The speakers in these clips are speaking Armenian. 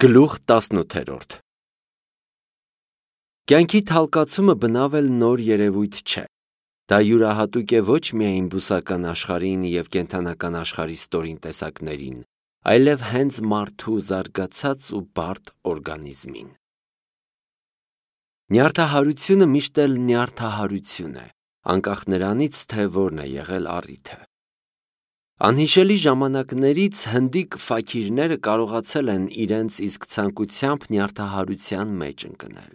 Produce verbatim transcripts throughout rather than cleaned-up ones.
Գլուխ տասնութերորդ Կյանքի թալկացումը բնավել նոր երևույթ չէ, դա յուրահատուկ է ոչ միայն բուսական աշխարհին և կենդանական աշխարհի ստորին տեսակներին, այլև հենց մարդու զարգացած ու բարդ օրգանիզմին։ Նյարդահարությունը միշտ էլ նյարդահարություն է, անկախ նրանից, թե որն է եղել առիթը։ Անհիշելի ժամանակներից հնդիկ ֆաքիրները կարողացել են իրենց իսկ ցանկությամբ նյարդահարության մեջ ընկնել։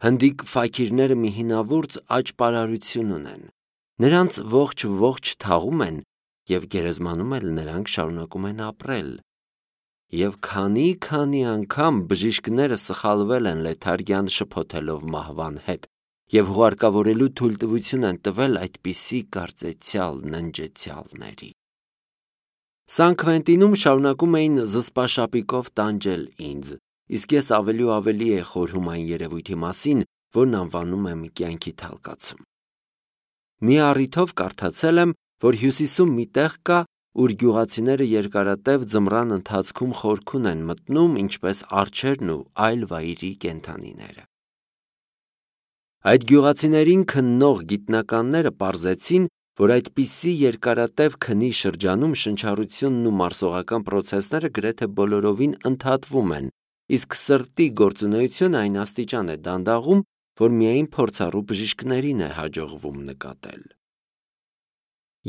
Հնդիկ ֆաքիրները մի հինավուրց աճպարարություն ունեն, նրանց ողջ-ողջ թաղում են և գերեզմանում էլ նրանք շարունակում են ապրել։ Եվ քանի-քանի անգամ բժիշկները սխալվել են լեթարգյան շփոթելով մահվան հետ և հուղարկավորելու թույլտվություն են տվել այդպիսի կարծեցյալ ննջեցյալների։ Սան Քվենտինում շարունակում էին զսպաշապիկով տանջել ինձ, իսկ ես ավելի ու ավելի էի խորհում այն երևույթի մասին, որն անվանում եմ կյանքի թալկացում։ Մի առիթով կարդացել եմ, որ Հյուսիսում մի տեղ կա, ուր գյուղացիները երկարատև ձմռան ընթացքում խորքում են մտնում, ինչպես արջերն ու այլ վայրի կենդանիները։ Այդ գյուղացիներին քննող գիտնականները պարզեցին, որ այդպիսի երկարատև քնի շրջանում շնչառությունն ու մարսողական պրոցեսները գրեթե բոլորովին ընդհատվում են, իսկ սրտի գործունեությունը այն աստիճան է դանդաղում, որ միայն փորձառու բժիշկներին է հաջողվում նկատել։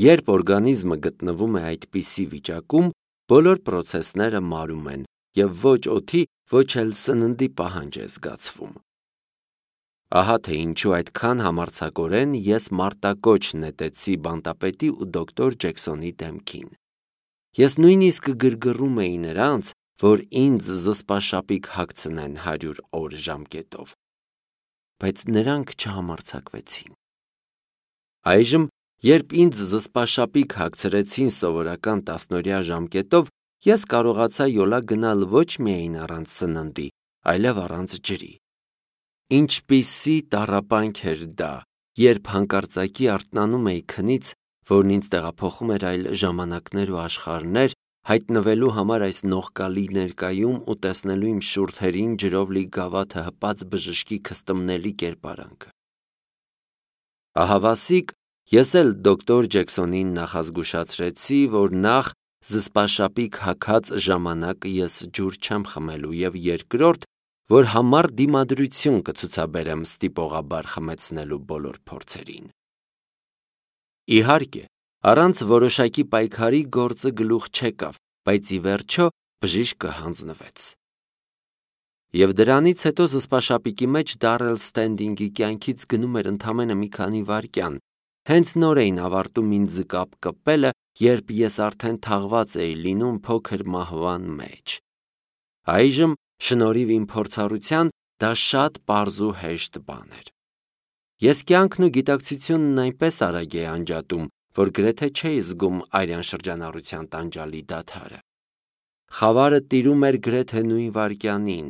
Երբ օրգանիզմը գտնվում է այդպիսի վիճակում, բոլոր պրոցեսները մարում են և ոչ օդի, ոչ էլ սննդի պահանջ է զգացվում։ Ահա թե ինչու այդքան համարձակորեն ես մարտակոչ նետեցի բանտապետի ու դոկտոր Ջեքսոնի դեմքին։ Ես նույնիսկ գրգռում էի նրանց, որ ինձ զսպաշապիկ հագցնեն հարյուր օր ժամկետով, բայց նրանք չհամարձակվեցին։ Այժմ, երբ ինձ զսպաշապիկ հագցրեցին սովորական տասնօրյա ժամկետով, ես կարողացա յոլա գնալ ոչ միայն առանց սննդի, այլև առանց ջրի։ Ինչպիսի տառապանք էր դա, երբ հանկարծակի արթնանում էի քնից, որն ինձ տեղափոխում էր այլ ժամանակներ ու աշխարհներ, հայտնվելու համար այս նողկալի ներկայում ու տեսնելու իմ շուրթերին ջրով լի գավաթը հպած բժշկի քստմնելի կերպարանքը։ Ահավասիկ, ես էլ դոկտոր Ջեքսոնին նախազգուշացրեցի, որ նախ զսպաշապիկ հագած ժամանակ ես ջուր չեմ խմելու և երկրորդ, որ համառ դիմադրություն կցուցաբերեմ ստիպողաբար խմեցնելու բոլոր փորձերին։ Իհարկե, առանց որոշակի պայքարի գործը գլուխ չեկավ, բայց ի վերջո բժիշկը հանձնվեց։ Եվ դրանից հետո զսպաշապիկի մեջ Դարրել Ստենդինգի կյանքից գնում էր ընդամենը մի քանի վայրկյան, հենց նոր էին ավարտում ինձ կապկպելը, երբ ես արդեն թաղված էի լինում փոքր մահվան մեջ։ Այժմ, շնորհիվ իմ փորձառության, դա շատ պարզ ու հեշտ բան էր։ Ես կյանքն ու գիտակցությունն այնպես արագ էի անջատում, որ գրեթե չէի զգում արյան շրջանառության տանջալի դադարը։ Խավարը տիրում էր գրեթե նույն վայրկյանին,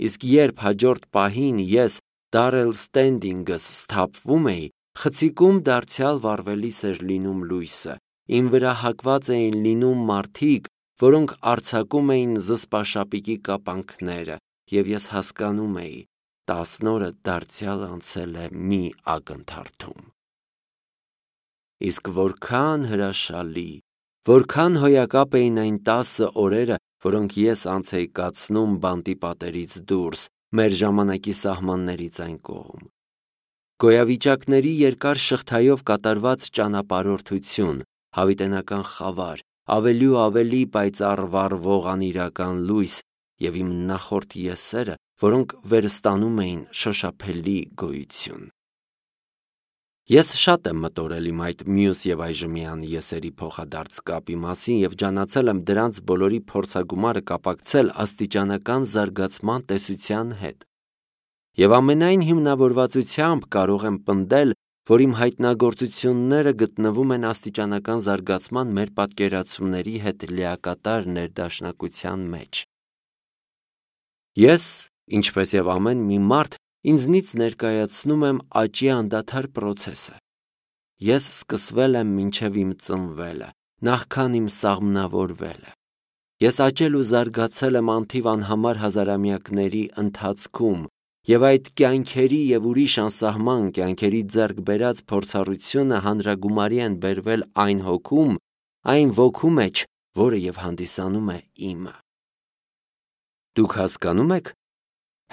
իսկ երբ հաջորդ պահին ես Դարրել Ստենդինգս սթափվում էի, խցիկում դարձյալ վառվելիս էր լինում լույսը, իմ վրա հակված էին լինում մարդիկ, որոնք արձակում էին զսպաշապիկի կապանքները, և ես հասկանում էի, տասն օրը դարձյալ անցել է մի ակնթարթում։ Իսկ որքան հրաշալի, որքան հոյակապ էին այն տասը օրերը, որոնք ես անց էի կացնում բանտի պատերից դուրս, մեր ժամանակի սահմաններից այն կողմ։ Գոյավիճակների երկար շղթայով կատարված ճանապարհորդություն, հավիտենական խավար, ավելի ու ավելի պայծառ վառվող անիրական լույս և իմ նախորդ եսերը, որոնք վերստանում էին շոշափելի գոյություն։ Ես շատ եմ մտորել իմ այդ մյուս և այժմյան եսերի փոխադարձ կապի մասին և ջանացել եմ դրանց բոլորի փորձագումարը կապակցել աստիճանական զարգացման տեսության հետ։ Եվ ամենայն հիմնավորվածությամբ կարող եմ պնդել, որ իմ հայտնագործությունները գտնվում են աստիճանական զարգացման մեր պատկերացումների հետ լիակատար ներդաշնակության մեջ։ Ես, ինչպես և ամեն մի մարդ, ինձնից ներկայացնում եմ աճի անդադար պրոցեսը։ Ես սկսվել եմ մինչև իմ ծնվելը, նախքան իմ սաղմնավորվելը։ Ես աճել ու զարգացել եմ անթիվ անհամար հազարամյակների ընթացքում, եւ այդ կյանքերի եւ ուրիշ անսահման կյանքերի ձեռք բերած փորձառությունը հանրագումարի են բերվել այն հոգում, այն ոգու մեջ, որը եւ հանդիսանում է իմը։ Դուք հասկանում եք,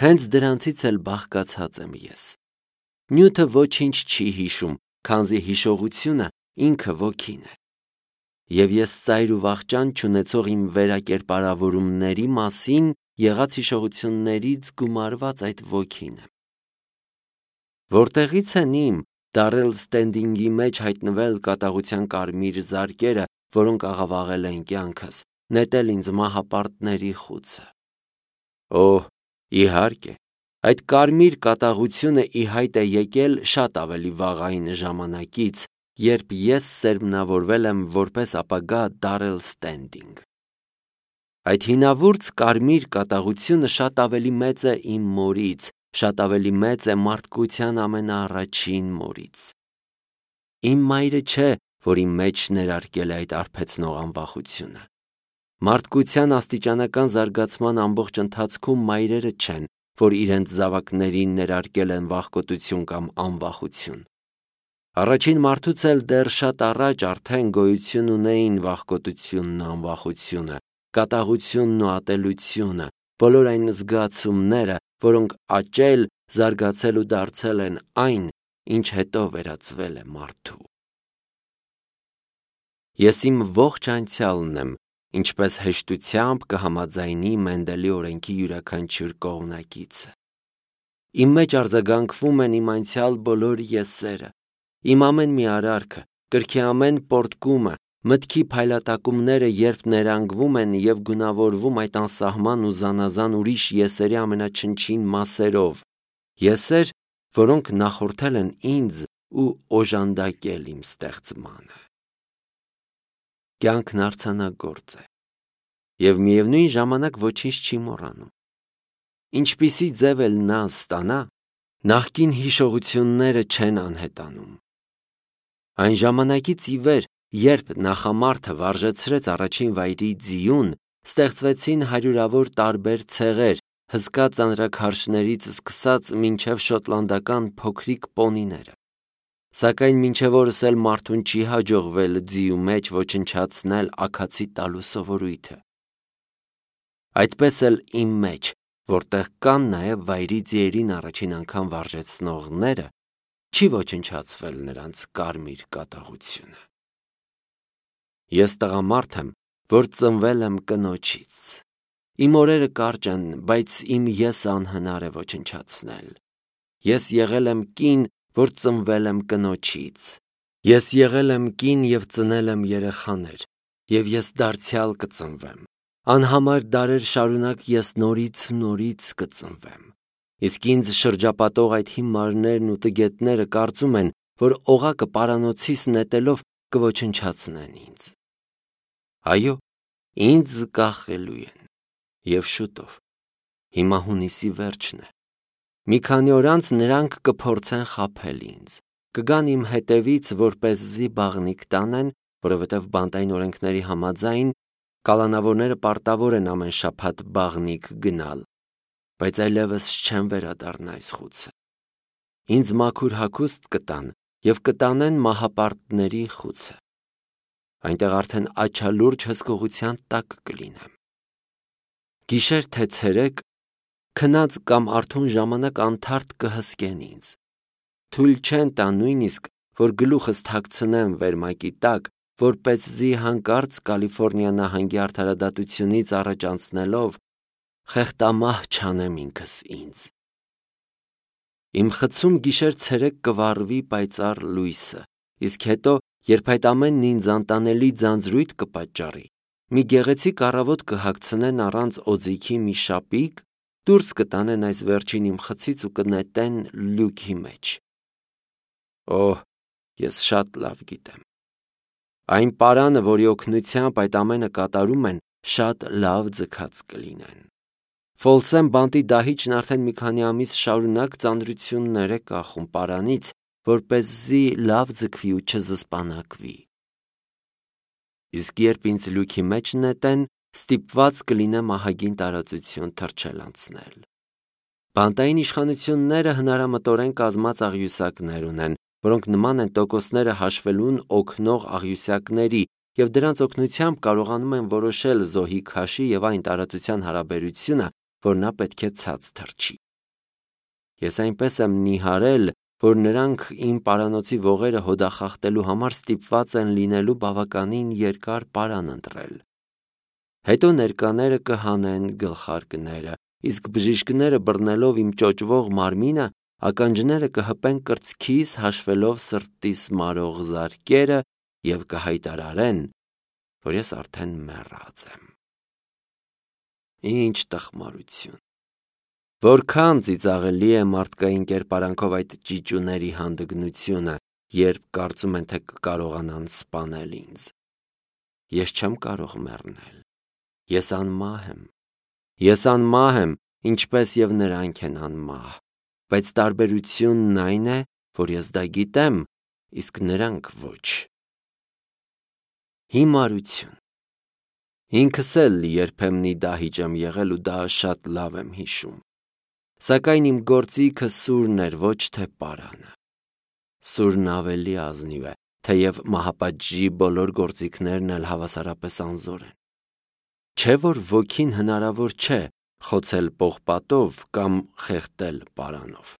հենց դրանցից էլ բաղկացած եմ ես։ Նյութը ոչինչ չի հիշում, քանզի հիշողությունը ինքը ոգին է։ Եվ ես ծայր ու վախճան չունեցող իմ վերակերպարավորումների մասին եղած հիշողություններից գումարված այդ ոգին եմ։ Որտեղից են իմ Դարել Ստենդինգի մեջ հայտնվել կատաղության կարմիր զարկերը, որոնք աղավաղել են կյանքս, նետել ինձ մահապարտների խուցը։ Օհ, իհարկե, այդ կարմիր կատաղությունը ի հայտ է եկել շատ ավելի վաղային ժամանակից, երբ ես սերմնավորվել եմ որպես ապագա Դարել Ստենդինգ։ Այդ հինավուրց կարմիր կատաղությունը շատ ավելի մեծ է իմ մորից, շատ ավելի մեծ է մարդկության ամենաառաջին մորից։ Իմ մայրը չէ, որ իմ մեջ ներարկել է այդ արբեցնող անվախությունը։ Մարդկության աստիճանական զարգացման ամբողջ ընթացքում մայրերը չեն, որ իրենց զավակներին ներարկել են վախկոտություն կամ անվախություն։ Առաջին մարդուց էլ դեռ շատ առաջ արդեն գոյություն ունեին վախկոտությունն ու անվախությունը, կատաղությունն ու ատելությունը, բոլոր այն զգացումները, որոնք աճել, զարգացել ու դարձել են այն, ինչ հետո վերածվել է մարդու։ Ես իմ ողջ անցյալն եմ, ինչպես հեշտությամբ կհամաձայնի Մենդելի օրենքի յուրաքանչյուր կողմնակիցը։ Իմ մեջ արձագանքվում են իմ անցյալ բոլոր եսերը, իմ ամեն մի արարքը, կրքի ամեն պոռթկումը, մտքի փայլատակումները, երբ ներանգվում են եւ գունավորվում այդ անսահման ու զանազան ուրիշ եսերի ամենաչնչին մասերով, եսեր, որոնք նախորդել են ինձ ու օժանդակել իմ ստեղծմանը։ Կյանքն արձանագործ է եւ միևնույն ժամանակ ոչինչ չի մոռանում։ Ինչպիսի ձև էլ նա ստանա, նախկին հիշողությունները չեն անհետանում։ Այն ժամանակից ի վեր, երբ նախամարդը վարժեցրեց առաջին վայրի ձիուն, ստեղծվեցին հարյուրավոր տարբեր ցեղեր, հսկա ծանրաքարշներից սկսած մինչև շոտլանդական փոքրիկ պոնիները։ Սակայն մինչև օրս էլ մարդուն չի հաջողվել ձիու մեջ ոչնչացնել աքացի տալու սովորույթը։ Այդպես էլ իմ մեջ, որտեղ կան նաև վայրի ձիերին առաջին անգամ վարժեցնողները, չի ոչնչացվել նրանց կարմիր կատաղությունը։ Ես տղամարդ եմ, որ ծնվել եմ կնոջից։ Իմ օրերը կարճ են, բայց իմ եսը անհնար է ոչնչացնել։ Ես եղել եմ կին, որ ծնվել եմ կնոջից։ Ես եղել եմ կին և ծնել եմ երեխաներ, և ես դարձյալ կծնվեմ։ Անհամար դարեր շարունակ ես նորից ու նորից կծնվեմ։ Իսկ ինձ շրջապատող այդ հիմարներն ու տգետները կարծում են, որ օղակը պարանոցիս նետելով կոչնչացնեն ինձ։ Այո, ինձ կախելու են, և շուտով, հիմա հունիսի վերջն է։ Մի քանի օր անց նրանք կփորձեն խաբել ինձ, կգան իմ հետևից, որպեսզի բաղնիք տանեն, որովհետև բանտային օրենքների համաձայն կալանավորները պարտավոր են ամեն շաբաթ բաղնիք գնալ, բայց այլևս չեմ վերադառնա այս խուցը։ Ինձ մաքուր հագուստ կտան և կտանեն մահապարտների խուցը։ Այնտեղ արդեն աչալուրջ հսկողության տակ կլինեմ։ Գիշեր թե ցերեկ, քնած կամ արթուն ժամանակ անթարթ կհսկեն ինձ։ Թույլ չեն տա նույնիսկ, որ գլուխս թաքցնեմ վերմակի տակ, որպեսզի հանկարծ Կալիֆոռնիա նահանգի արդարադատությունից առաջ անցնելով խեղտամահ չանեմ ինքս ինձ։ Իմ խցում գիշեր ցերեկ կվառվի պայծառ լույսը, իսկ հետո, երբ այդ ամենն ինձ անտանելի ձանձրույթ կպատճառի, մի գեղեցիկ առավոտ կհագցնեն առանց օձիքի մի շապիկ, դուրս կտանեն այս վերջին իմ խցից ու կնետեն լյուքի մեջ։ Օհ, ես շատ լավ գիտեմ։ Այն պարանը, որի օգնությամբ այդ ամենը կատարում են, շատ լավ ձգած կլինեն։ Ֆոլսեմ բանտի դահիճն արդեն մի քանի ամիս շարունակ ծանրություններ է կախում պարանից, որպեսզի լավ ձգվի ու չզսպանակվի։ Իսկ երբ ինձ լույքի մեջ նետեն, ստիպված կլինեմ ահագին տարածություն թռչել անցնել։ Բանտային իշխանությունները հնարամտորեն կազմած աղյուսակներ ունեն, որոնք նման են տոկոսները հաշվելուն օգնող աղյուսակների և դրանց օգնությամբ կարողանում են որոշել զոհի քաշի և այն տարածության հարաբերությունը, որ նա պետք է ցած թռչի։ Ես այնպես եմ նիհարել, որ նրանք իմ պարանոցի ողերը հոդախախտելու համար ստիպված են լինելու բավականին երկար պարան ընտրել։ Հետո ներկաները կհանեն գլխարկները, իսկ բժիշկները բռնելով իմ ճոճվող մարմինը, ականջները կհպեն կրծքիս հաշվելով սրտիս մարող զարկերը և կհայտարարեն, որ ես արդեն մեռած եմ։ Ինչ տխմարություն։ Որքան ծիծաղելի է մարդկային կերպարանքով այդ ճիճուների հանդգնությունը, երբ կարծում են, թե կկարողանան սպանել ինձ։ Ես չեմ կարող մեռնել։ Ես անմահ եմ։ Ես անմահ եմ, ինչպես և նրանք են անմահ, բայց տարբերությունն այն է, որ ես դա գիտեմ, իսկ նրանք ոչ։ Հիմարություն։ Ինքս էլ երբեմնի դահիճ եմ եղել ու դա շատ լավ եմ հիշում։ Սակայն իմ գործիքը սուրն էր, ոչ թե պարանը։ Սուրն ավելի ազնիվ է, թեև մահապատժի բոլոր գործիքներն էլ հավասարապես անզոր են։ Չէ՞ որ ոգին հնարավոր չէ խոցել պողպատով կամ խեղդել պարանով։